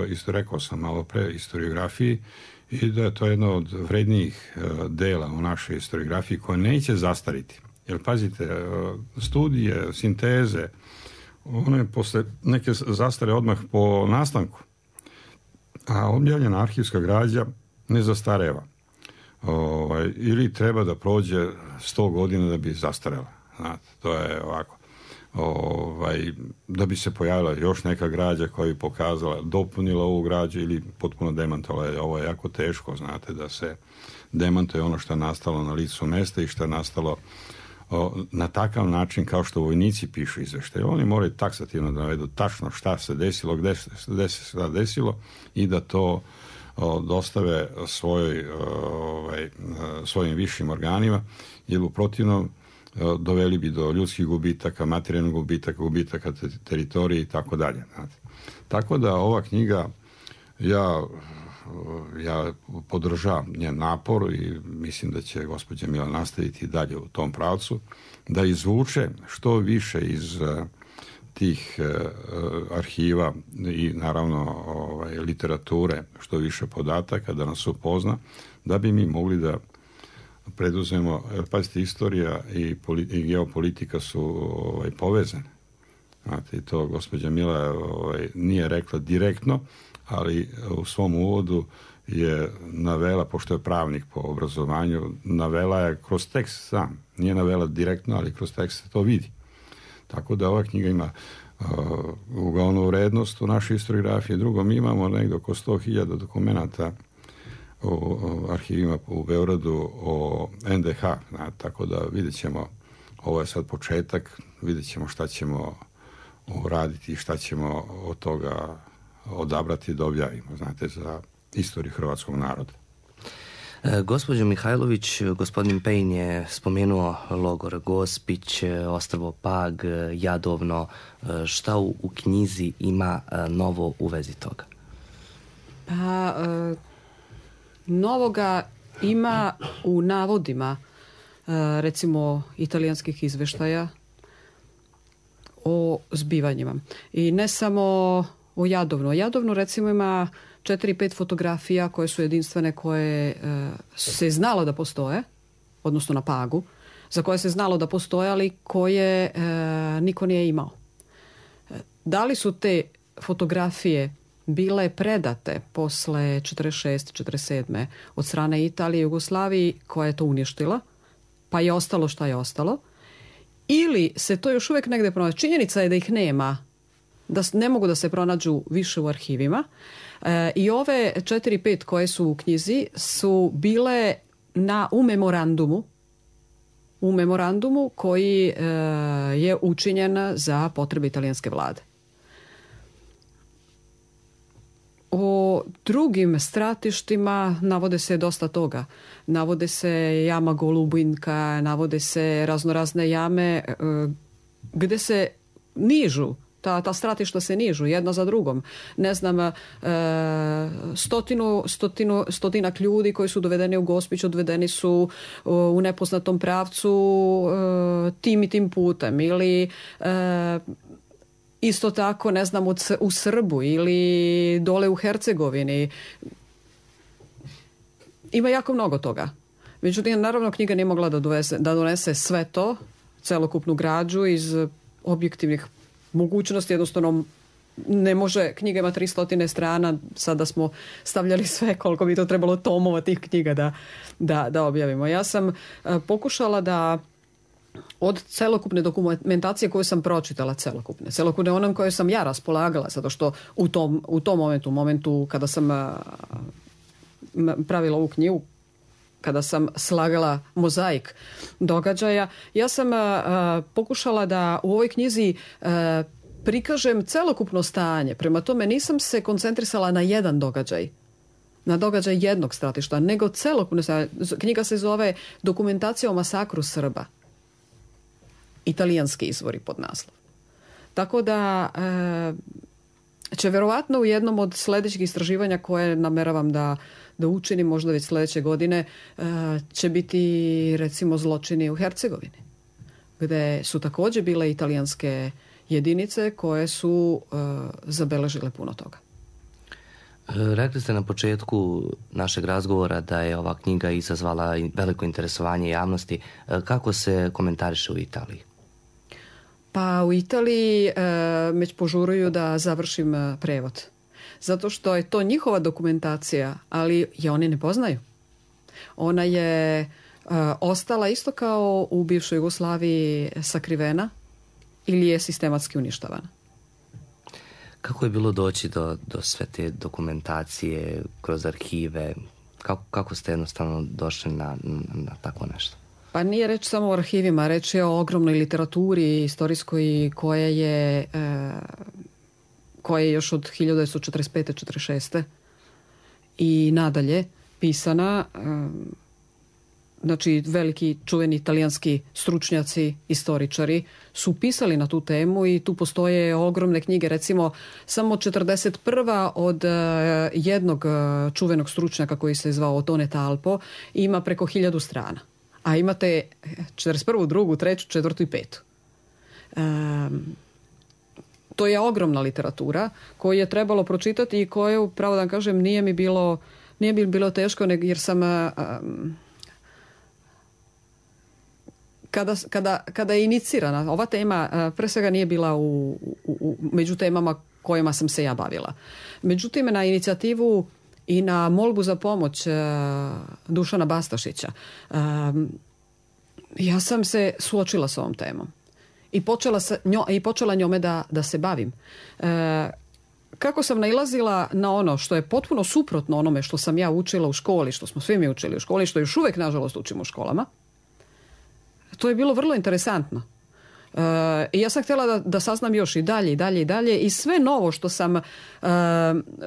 [SPEAKER 4] isto rekao sam malo pre, historiografiji, i da je to jedno od vrednijih dela u našoj historiografiji koja neće zastariti. Jer pazite, studije, sinteze, one posle neke zastare odmah po nastanku, a objavljena arhivska građa ne zastareva. Ovaj, ili treba da prođe sto godina da bi zastarela. Znate, to je ovako. Ovaj, da bi se pojavila još neka građa koja bi pokazala, dopunila ovu građu ili potpuno demantovala. Ovo je jako teško, znate, da se demantuje ono što je nastalo na licu mesta i što je nastalo o, na takav način kao što vojnici pišu izveštaje. Oni moraju taksativno da navedu tačno šta se desilo, gde se šta desilo i da to o, dostave svojoj, ovaj, svojim višim organima, jer u protivnom doveli bi do ljudskih gubitaka, materijalnih gubitaka, gubitaka teritorije i tako dalje. Tako da ova knjiga, ja, ja podržavam njen napor i mislim da će gospođa Mila nastaviti dalje u tom pravcu, da izvuče što više iz tih arhiva i naravno ovaj, literature, što više podataka, da nas upozna, da bi mi mogli da preduzemo, pazite, istorija i, politi, i geopolitika su ovaj, povezane. Znate, i to gospođa Mila ovaj, nije rekla direktno, ali u svom uvodu je navela, pošto je pravnik po obrazovanju, navela je kroz tekst sam. Nije navela direktno, ali kroz tekst se to vidi. Tako da ova knjiga ima uh, uglavnu vrednost u našoj historiografiji. Drugo, mi imamo negdje oko sto hiljada dokumenata u arhivima u Beogradu o en de ha, na, tako da vidjet ćemo, ovo je sad početak, vidjet ćemo šta ćemo uraditi i šta ćemo od toga odabrati da objavimo, znate, za istoriju hrvatskog naroda.
[SPEAKER 3] E, gospođo Mihajlović, gospodin Pejn je spomenuo logor Gospić, ostrvo Pag, Jadovno. Šta u, u knjizi ima novo u vezi toga?
[SPEAKER 5] Pa... E... Novoga ima u navodima, recimo, italijanskih izveštaja o zbivanjima. I ne samo o Jadovnu. O Jadovnu, recimo, ima četiri pet fotografija koje su jedinstvene, koje se znalo da postoje, odnosno na Pagu, za koje se znalo da postoje, ali koje niko nije imao. Da li su te fotografije bile predate posle četrdeset šeste četrdeset sedme od strane Italije i Jugoslavije, koja je to uništila, pa je ostalo šta je ostalo, ili se to još uvijek negde pronađe. Činjenica je da ih nema, da ne mogu da se pronađu više u arhivima, e, i ove četiri pet koje su u knjizi su bile na, u memorandumu, u memorandumu koji e, je učinjen za potrebe italijanske vlade. O drugim stratištima navode se dosta toga. Navode se jama Golubinka, navode se raznorazne jame gde se nižu, ta, ta stratišta se nižu jedna za drugom. Ne znam, e, stotinu, stotinu, stotinak ljudi koji su dovedeni u Gospić, odvedeni su u nepoznatom pravcu e, tim i tim putem. Ili... E, isto tako, ne znam, u Srbu ili dole u Hercegovini. Ima jako mnogo toga. Međutim, naravno, knjiga nije mogla da donese, da donese sve to, celokupnu građu iz objektivnih mogućnosti. Jednostavno, ne može, knjiga ima tristo strana, sada smo stavljali sve koliko bi to trebalo tomova tih knjiga da, da, da objavimo. Ja sam uh, pokušala da od celokupne dokumentacije koju sam pročitala, celokupne, celokupne onom koje sam ja raspolagala, zato što u tom, u tom momentu, u momentu kada sam a, pravila ovu knjigu, kada sam slagala mozaik događaja, ja sam a, a, pokušala da u ovoj knjizi a, prikažem celokupno stanje. Prema tome nisam se koncentrisala na jedan događaj, na događaj jednog stratišta, nego celokupno. Knjiga se zove Dokumentacija o masakru Srba. Italijanski izvori pod naslov. Tako da e, će verovatno u jednom od sljedećih istraživanja koje nameravam da, da učinim možda već sljedeće godine e, će biti recimo zločini u Hercegovini, gde su također bile italijanske jedinice koje su e, zabeležile puno toga.
[SPEAKER 3] Rekli ste na početku našeg razgovora da je ova knjiga izazvala veliko interesovanje javnosti. Kako se komentariše u Italiji?
[SPEAKER 5] Pa u Italiji e, već požuruju da završim prevod. Zato što je to njihova dokumentacija, ali je oni ne poznaju. Ona je e, ostala isto kao u bivšoj Jugoslaviji sakrivena ili je sistematski uništavana.
[SPEAKER 3] Kako je bilo doći do, do sve te dokumentacije kroz arhive? Kako, kako ste jednostavno došli na, na tako nešto?
[SPEAKER 5] Pa nije reč samo o arhivima, reč je o ogromnoj literaturi istorijskoj koja je, e, koja je još od hiljadu devetsto četrdeset pete četrdeset šeste i nadalje pisana. E, znači veliki čuveni italijanski stručnjaci, istoričari su pisali na tu temu i tu postoje ogromne knjige. Recimo samo četrdeset prva od jednog čuvenog stručnjaka koji se zvao Ottone Talpo ima preko hiljadu strana. A imate četrdeset prvu, drugu, treću, četvrtu i petu. Um, to je ogromna literatura koju je trebalo pročitati i koju, pravo da vam kažem, nije mi bilo, nije mi bilo teško jer sam... Um, Kada, kada, kada je inicirana, ova tema pre svega nije bila u, u, u, među temama kojima sam se ja bavila. Međutim, na inicijativu i na molbu za pomoć uh, Dušana Bastašića, uh, ja sam se suočila s ovom temom i počela, sa, njo, i počela njome da, da se bavim. Uh, kako sam nailazila na ono što je potpuno suprotno onome što sam ja učila u školi, što smo svi mi učili u školi, što još uvijek, nažalost, učimo u školama, to je bilo vrlo interesantno. E, ja sam htjela da, da saznam još i dalje i dalje i dalje i sve novo što sam, e,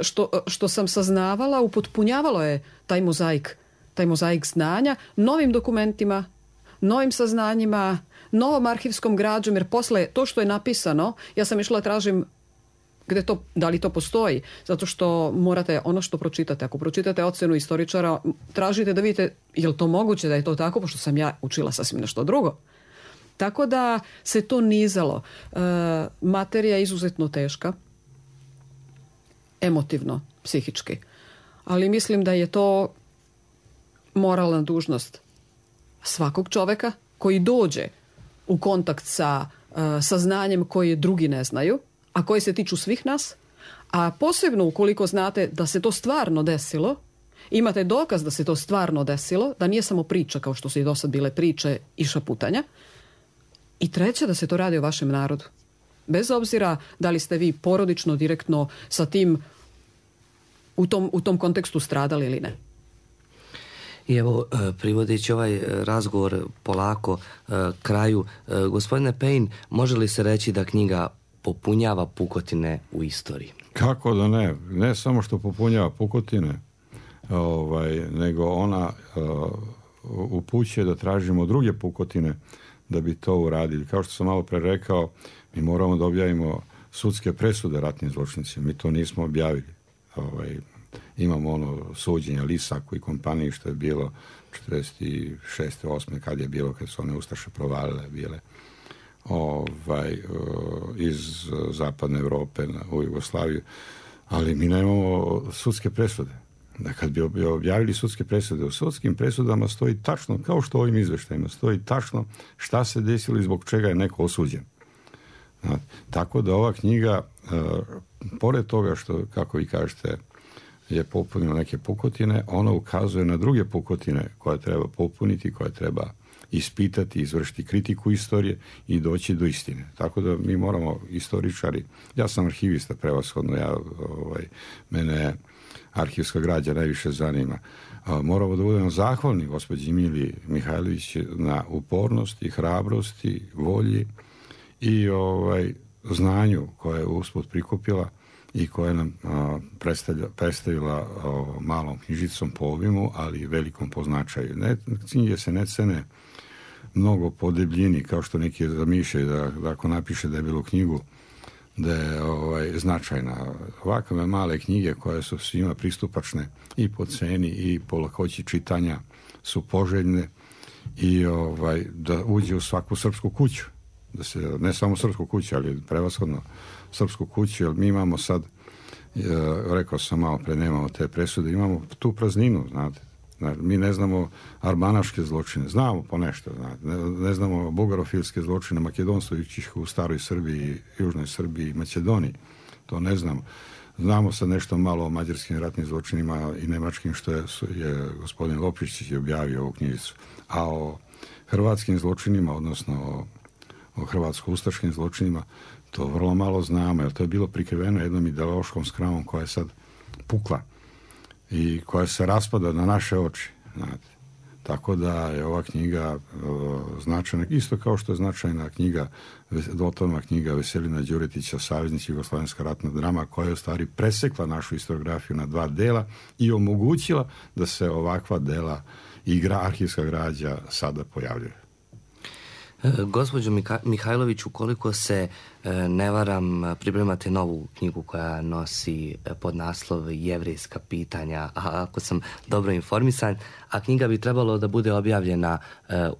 [SPEAKER 5] što, što sam saznavala upotpunjavalo je taj mozaik, taj mozaik znanja novim dokumentima, novim saznanjima, novom arhivskom građom, jer posle to što je napisano, ja sam išla tražim gde to, da li to postoji, zato što morate ono što pročitate, ako pročitate ocenu istoričara, tražite da vidite je li to moguće da je to tako, pošto sam ja učila sasvim nešto drugo. Tako da se to nizalo. E, materija je izuzetno teška, emotivno, psihički, ali mislim da je to moralna dužnost svakog čoveka koji dođe u kontakt sa e, saznanjem koje drugi ne znaju, a koje se tiču svih nas, a posebno ukoliko znate da se to stvarno desilo, imate dokaz da se to stvarno desilo, da nije samo priča kao što su i do sad bile priče i šaputanja, i treće da se to radi o vašem narodu. Bez obzira da li ste vi porodično, direktno sa tim u tom, u tom kontekstu stradali ili ne.
[SPEAKER 3] I evo, privodeći ovaj razgovor polako kraju, gospodine Payne, može li se reći da knjiga popunjava pukotine u istoriji?
[SPEAKER 4] Kako da ne? Ne samo što popunjava pukotine, ovaj, nego ona uh, upućuje da tražimo druge pukotine da bi to uradili. Kao što sam malo pre rekao, mi moramo da objavimo sudske presude ratnim zločincima. Mi to nismo objavili. Ovaj, imamo ono suđenje Lisaku i kompaniji što je bilo četrdeset šeste osme kad je bilo, kad su one ustaše provalile bile ovaj, iz zapadne Evrope u Jugoslaviju, ali mi nemamo sudske presude. Da kad bi objavili sudske presude, u sudskim presudama stoji tačno, kao što u ovim izveštajima, stoji tačno šta se desilo i zbog čega je neko osuđen. Tako da ova knjiga, pored toga što, kako vi kažete, je popunila neke pukotine, ona ukazuje na druge pukotine koje treba popuniti, koje treba ispitati, izvršiti kritiku istorije i doći do istine. Tako da mi moramo, istoričari, ja sam arhivista prevashodno, ja, ovaj, mene arhivska građa najviše zanima. Moramo da budemo zahvalni gospođi Emiliji Mihajlović na upornosti, hrabrosti, volji i ovaj, znanju koje je usput prikupila i koja nam a, predstavila a, malom knjižicom po obimu, ali velikom po značaju. Ne, knjige se ne cene mnogo po debljini, kao što neki zamišljaju da, da ako napiše debelu knjigu, da je ovaj, značajna. Ovakve male knjige koje su svima pristupačne i po ceni i po lakoći čitanja su poželjne i ovaj, da uđe u svaku srpsku kuću. Da se, ne samo srpsku kuću, ali prevashodno srpsku kuću, jer mi imamo sad rekao sam malo pre, nemamo te presude, imamo tu prazninu, znate. Mi ne znamo arbanaške zločine, znamo po nešto, znate. Ne, ne znamo bugarofilske zločine makedonskih u staroj Srbiji, južnoj Srbiji i Makedoniji, to ne znamo. Znamo sad nešto malo o mađarskim ratnim zločinima i nemačkim, što je, je gospodin Lopić je objavio ovu knjižicu. A o hrvatskim zločinima, odnosno o, o hrvatsko-ustaškim zločinima, to vrlo malo znamo, jer to je bilo prikriveno jednom ideološkom skramom koja je sad pukla i koja se raspada na naše oči. Znate. Tako da je ova knjiga uh, značajna, isto kao što je značajna knjiga, dvotomna knjiga Veselina Đuretića, Saveznici Jugoslovenska ratna drama, koja je u stvari presekla našu historiografiju na dva dela i omogućila da se ovakva dela i gra, arhivska građa sada pojavljuje.
[SPEAKER 3] Gospođo Mihajlović, ukoliko se ne varam, pripremate novu knjigu koja nosi podnaslov Jevrejska pitanja, a ako sam dobro informisan, a knjiga bi trebalo da bude objavljena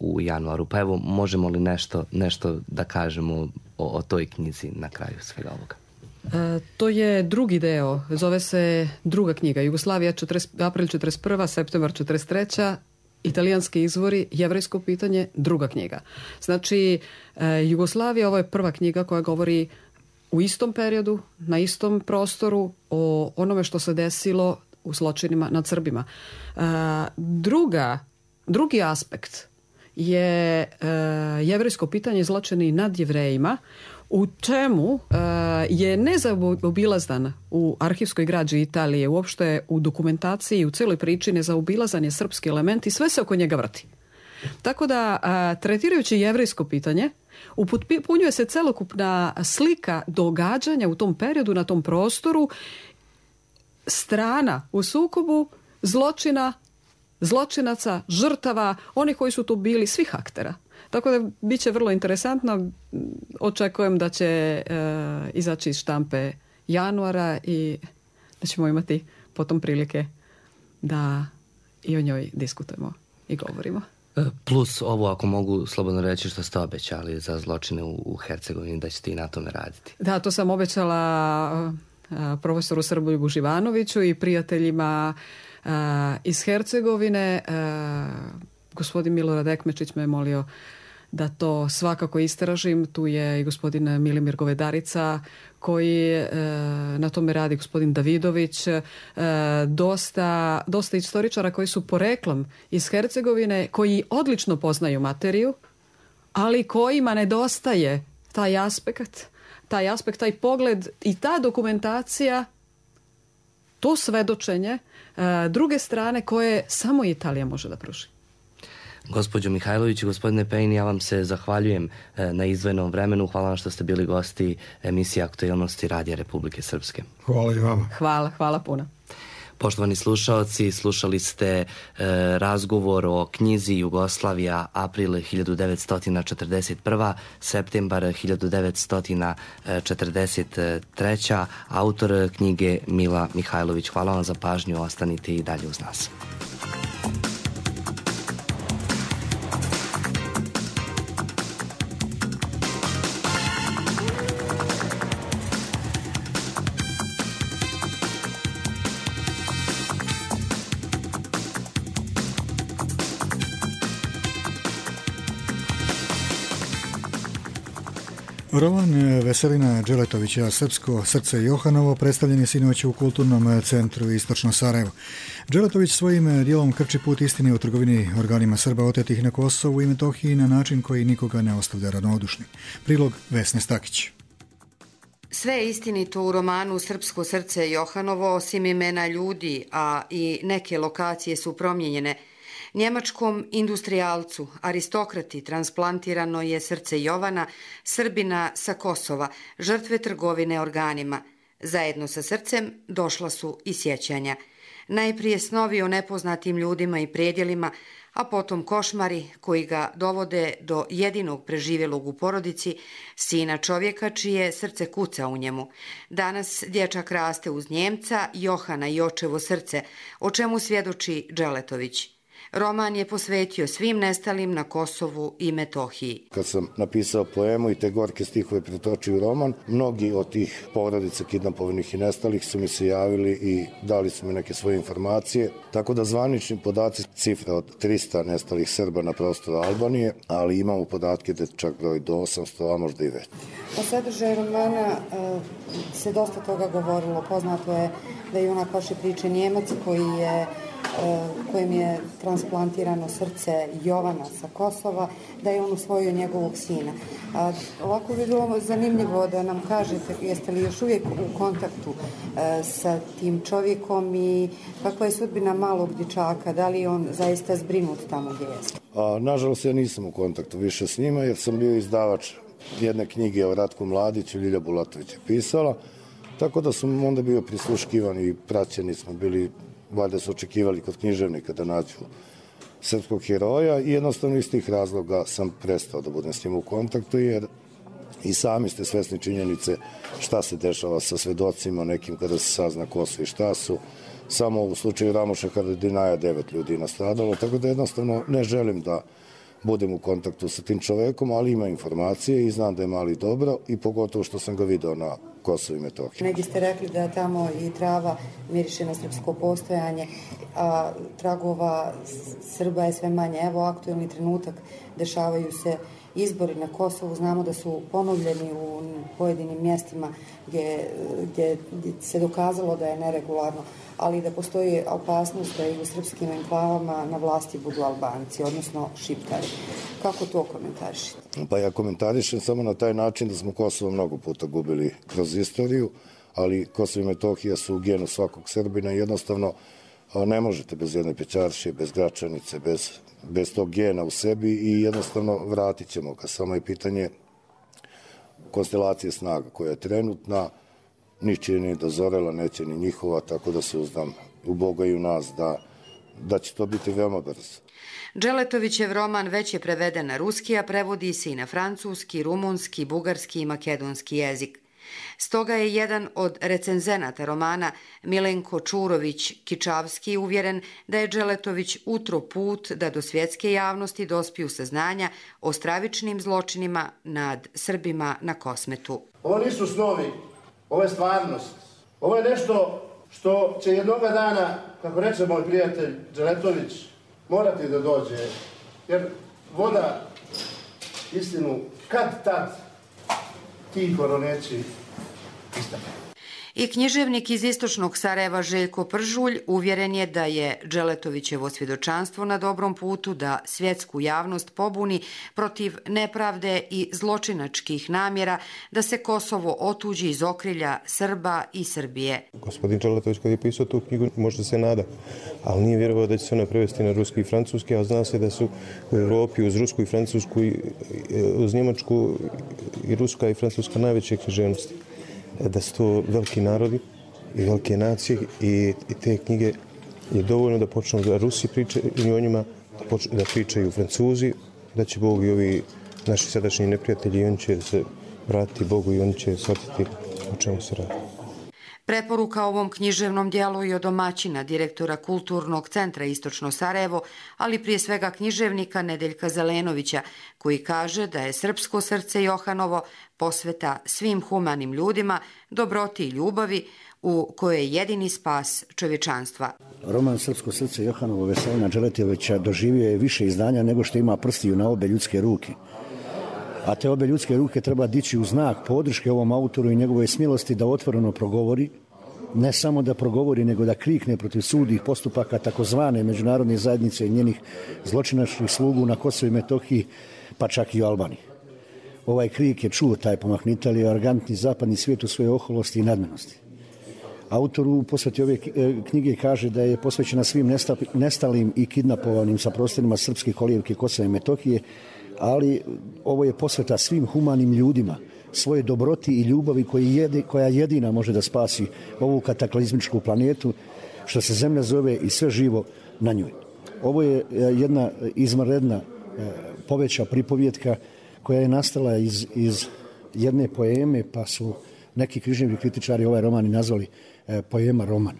[SPEAKER 3] u januaru. Pa evo, možemo li nešto, nešto da kažemo o, o toj knjizi na kraju svega ovoga?
[SPEAKER 5] E, to je drugi deo, zove se druga knjiga, Jugoslavija, april četrdeset prva, septembar četrdeset treća, italijanski izvori, jevrejsko pitanje, druga knjiga. Znači, e, Jugoslavija, ovo je prva knjiga koja govori u istom periodu, na istom prostoru, o onome što se desilo u zločinima nad Srbima. E, druga, drugi aspekt je e, jevrejsko pitanje, zločini nad Jevrejima, u čemu uh, je nezaobilazan u arhivskoj građi Italije, uopšte u dokumentaciji i u celoj priči nezaobilazan je srpski element i sve se oko njega vrti. Tako da, uh, tretirajući jevrejsko pitanje, upotpunjuje se celokupna slika događanja u tom periodu, na tom prostoru, strana u sukobu, zločina, zločinaca, žrtava, oni koji su tu bili, svih aktera. Tako da bit će vrlo interesantno. Očekujem da će e, izaći iz štampe januara i da ćemo imati potom prilike da i o njoj diskutujemo i govorimo.
[SPEAKER 3] Plus ovo, ako mogu slobodno reći, što ste obećali za zločine u, u Hercegovini, da ćete i na tome raditi.
[SPEAKER 5] Da, to sam obećala a, profesoru Srboljubu Živanoviću i prijateljima a, iz Hercegovine. A, gospodin Milorad Ekmečić me je molio da to svakako istražim. Tu je i gospodin Milimir Govedarica koji e, na tome radi, gospodin Davidović, e, dosta, dosta istoričara koji su poreklom iz Hercegovine, koji odlično poznaju materiju, ali kojima nedostaje taj aspekt, taj aspekt, taj pogled i ta dokumentacija, to svedočenje e, druge strane koje samo Italija može da pruži.
[SPEAKER 3] Gospođo Mihajlović i gospodine Pejin, ja vam se zahvaljujem na izdvojenom vremenu. Hvala vam što ste bili gosti emisije Aktuelnosti Radija Republike Srpske.
[SPEAKER 4] Hvala i vama.
[SPEAKER 5] Hvala, hvala puno.
[SPEAKER 3] Poštovani slušaoci, slušali ste e, razgovor o knjizi Jugoslavija, april hiljadu devetsto četrdeset prva, septembar hiljadu devetsto četrdeset treća. Autor knjige Mila Mihajlović. Hvala vam za pažnju, ostanite i dalje uz nas.
[SPEAKER 2] Roman Veselina Đeletovića, Srpsko srce Johanovo, predstavljen je sinoć u Kulturnom centru Istočno Sarajevo. Đeletović svojim dijelom krči put istine u trgovini organima Srba otetih na Kosovu i Metohiji na način koji nikoga ne ostavlja ravnodušni. Prilog Vesne Stakić.
[SPEAKER 6] Sve je istinito u romanu Srpsko srce Johanovo, osim imena ljudi, a i neke lokacije su promijenjene. Njemačkom industrijalcu, aristokrati, transplantirano je srce Jovana, Srbina sa Kosova, žrtve trgovine organima. Zajedno sa srcem došla su i sjećanja. Najprije snovi o nepoznatim ljudima i predjelima, a potom košmari koji ga dovode do jedinog preživjelog u porodici, sina čovjeka čije srce kuca u njemu. Danas dječak raste uz Njemca, Johana i očevo srce, o čemu svjedoči Đeletović. Roman je posvetio svim nestalim na Kosovu i Metohiji.
[SPEAKER 7] Kad sam napisao poemu i te gorke stihove pretočio u roman, mnogi od tih porodica kidnapovanih i nestalih su mi se javili i dali su mi neke svoje informacije. Tako da zvanični podaci cifra od trista nestalih Srba na prostoru Albanije, ali imamo podatke da čak broj do osamsto, a možda i već.
[SPEAKER 8] O sadržaju romana se dosta toga govorilo. Poznato je da je junak vaše priče Njemac koji je kojem je transplantirano srce Jovana sa Kosova, da je on usvojio njegovog sina. A, ovako bi bilo zanimljivo da nam kažete, jeste li još uvijek u kontaktu a, sa tim čovjekom i kakva je sudbina malog dječaka, da li je on zaista zbrinut tamo gdje jeste?
[SPEAKER 7] A, nažalost, ja nisam u kontaktu više s njima jer sam bio izdavač jedne knjige o Ratku Mladiću, Ljilja Bulatović je pisala, tako da sam onda bio prisluškivan i praćeni smo bili. Valjda su očekivali kod književnika da nađu srpskog heroja i jednostavno iz tih razloga sam prestao da budem s njim u kontaktu jer i sami ste svesni činjenice šta se dešava sa svedocima nekim kada se sazna ko su i šta su. Samo u slučaju Ramoša Haradinaja devet ljudi nastradalo, tako da jednostavno ne želim da budem u kontaktu sa tim čovekom, ali ima informacije i znam da je mali dobro i pogotovo što sam ga video na Kosovo i Metohiji.
[SPEAKER 8] Negdje ste rekli da tamo i trava miriše na srpsko postojanje, a tragova Srba je sve manje. Evo, aktuelni trenutak, dešavaju se izbori na Kosovu, znamo da su ponovljeni u pojedinim mjestima gdje, gdje se dokazalo da je neregularno, ali da postoji opasnost da i u srpskim enklavama na vlasti budu Albanci, odnosno Šiptari. Kako to komentarišete?
[SPEAKER 7] Pa ja komentarišem samo na taj način da smo Kosovo mnogo puta gubili kroz istoriju, ali Kosovo i Metohija su u genu svakog Srbina i jednostavno ne možete bez jedne Pećaršije, bez Gračanice, bez, bez tog gena u sebi i jednostavno vratit ćemo ga. Samo je pitanje konstelacije snaga koja je trenutna, ničije ni dozorela, neće ni njihova, tako da se uzdam u Boga i u nas da, da će to biti veoma brzo.
[SPEAKER 6] Dželetovićev roman već je preveden na ruski, a prevodi se i na francuski, rumunski, bugarski i makedonski jezik. Stoga je jedan od recenzenata romana Milenko Čurović-Kičavski uvjeren da je Dželetović utro put da do svjetske javnosti dospiju saznanja o stravičnim zločinima nad Srbima na Kosmetu.
[SPEAKER 9] Ovo nisu snovi, ovo je stvarnost. Ovo je nešto što će jednoga dana, kako reče moj prijatelj Dželetović, morati da dođe, jer voda istinu kad tad tiho roneći istane.
[SPEAKER 6] I književnik iz istočnog Sarajeva Željko Pržulj uvjeren je da je Dželetovićevo svjedočanstvo na dobrom putu da svjetsku javnost pobuni protiv nepravde i zločinačkih namjera da se Kosovo otuđi iz okrilja Srba i Srbije.
[SPEAKER 10] Gospodin Dželetović kad je pisao tu knjigu možda se nada, ali nije vjerovao da će se ona prevesti na ruski i francuski, a zna se da su u Europi uz rusku i francusku, uz njemačku i ruska i francuska najveće književnosti. Da su to veliki narodi i velike nacije i, i te knjige je dovoljno da počnu da Rusi pričaju o njima, da, počnu, da pričaju Francuzi, da će Bog i ovi naši sadašnji neprijatelji i oni će se vratiti Bogu i oni će shvatiti o čemu se radi.
[SPEAKER 6] Preporuka ovom književnom dijelu i od domaćina, direktora Kulturnog centra Istočno Sarajevo, ali prije svega književnika Nedeljka Zelenovića, koji kaže da je srpsko srce Johanovo posveta svim humanim ljudima, dobroti i ljubavi, u kojoj je jedini spas čovječanstva.
[SPEAKER 11] Roman Srpsko srce Johanovo Veselina Dželetovića doživio je više izdanja nego što ima prstiju na obe ljudske ruke. A te obe ljudske ruke treba dići u znak podrške ovom autoru i njegovoj smilosti da otvoreno progovori, ne samo da progovori, nego da krikne protiv sudih postupaka takozvane međunarodne zajednice i njenih zločinačkih slugu na Kosovu i Metohiji, pa čak i u Albaniji. Ovaj krik je čuo taj pomahnitelj, arogantni zapadni svijet u svojoj oholosti i nadmenosti. Autor u posveti ove knjige kaže da je posvećena svim nestalim i kidnapovanim sa prostorima srpske kolijevke Kosova i Metohije, ali ovo je posveta svim humanim ljudima, svoje dobroti i ljubavi koja jedina može da spasi ovu kataklizmičku planetu, što se zemlja zove i sve živo na njoj. Ovo je jedna izvanredna poveća pripovjetka koja je nastala iz, iz jedne poeme, pa su neki književni kritičari ovaj roman i nazvali poema roman.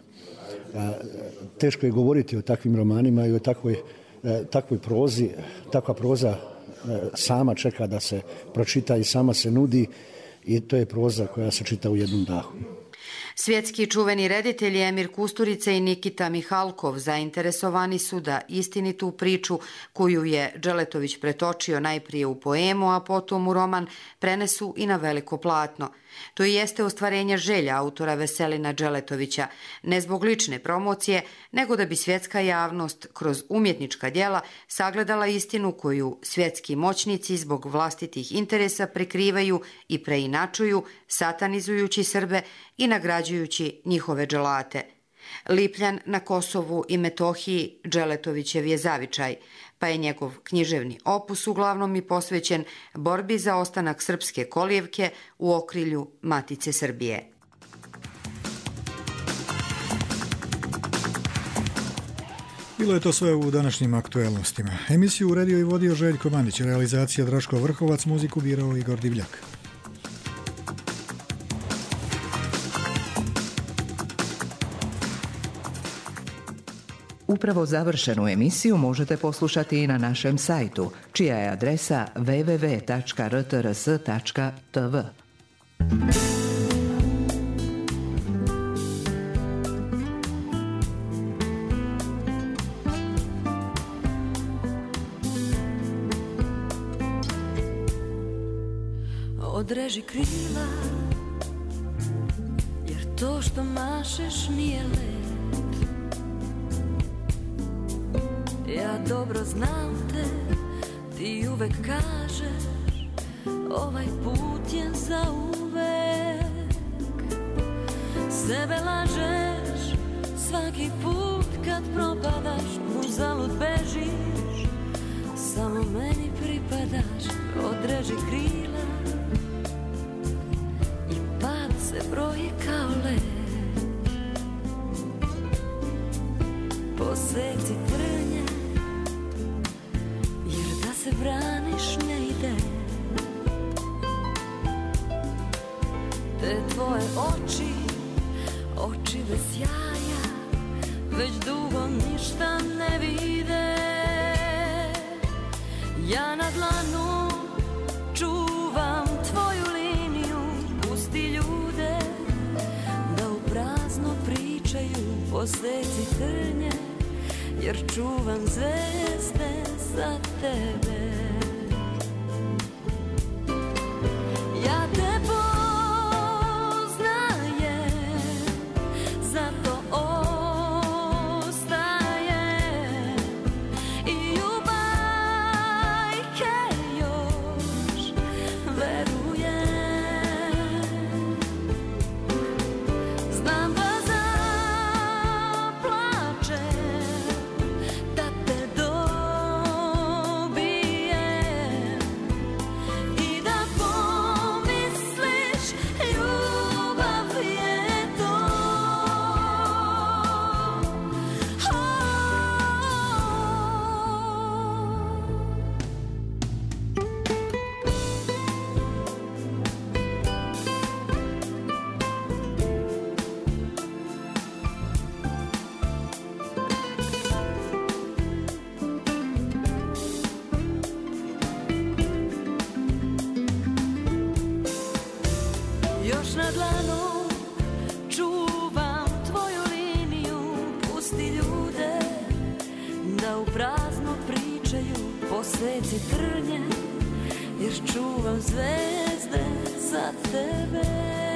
[SPEAKER 11] Teško je govoriti o takvim romanima i o takvoj takvoj prozi, takva proza sama čeka da se pročita i sama se nudi i to je proza koja se čita u jednom dahu.
[SPEAKER 6] Svjetski čuveni reditelji Emir Kusturica i Nikita Mihalkov zainteresovani su da istinitu priču koju je Dželetović pretočio najprije u poemu, a potom u roman, prenesu i na veliko platno. To i jeste ostvarenje želja autora Veselina Dželetovića, ne zbog lične promocije, nego da bi svjetska javnost kroz umjetnička djela sagledala istinu koju svjetski moćnici zbog vlastitih interesa prikrivaju i preinačuju, satanizujući Srbe i nagrađujući njihove dželate. Lipljan na Kosovu i Metohiji Dželetovićev je zavičaj, pa je njegov književni opus uglavnom i posvećen borbi za ostanak srpske kolijevke u okrilju Matice Srbije.
[SPEAKER 2] Bilo je to sve u današnjim aktuelnostima. Emisiju uredio i vodio Željko Mandić, realizacija Draško Vrhovac, muziku birao Igor Divljak.
[SPEAKER 1] Upravo završenu emisiju možete poslušati i na našem sajtu, čija je adresa w w w tačka r t r s tačka t v.
[SPEAKER 12] Odreži krila, jer to što mašeš nije let. Ja dobro znam te, ti uvek kažeš, ovaj put je za uvek. Sebe lažeš, svaki put kad propadaš, uzalud bežiš, samo meni pripadaš. Odreži krila i pad se broji kao let. Poseci trnje, se braniš ne ide. Te tvoje oči, oči bez sjaja, već dugo ništa ne vide. Ja na dlanu čuvam tvoju liniju, pusti ljude da u prazno pričaju. Poseci trnje, jer čuvam zvezde za tebe. Ja te poznajem, zato ostajem i u bajke još verujem. Znam da zaplačem, da te dobijem i da pomisliš ljubav je to. Još na dlanu čuvam tvoju liniju, pusti ljude da u prazno pričaju. Poseci trnje, jer čuvam zvezde za tebe.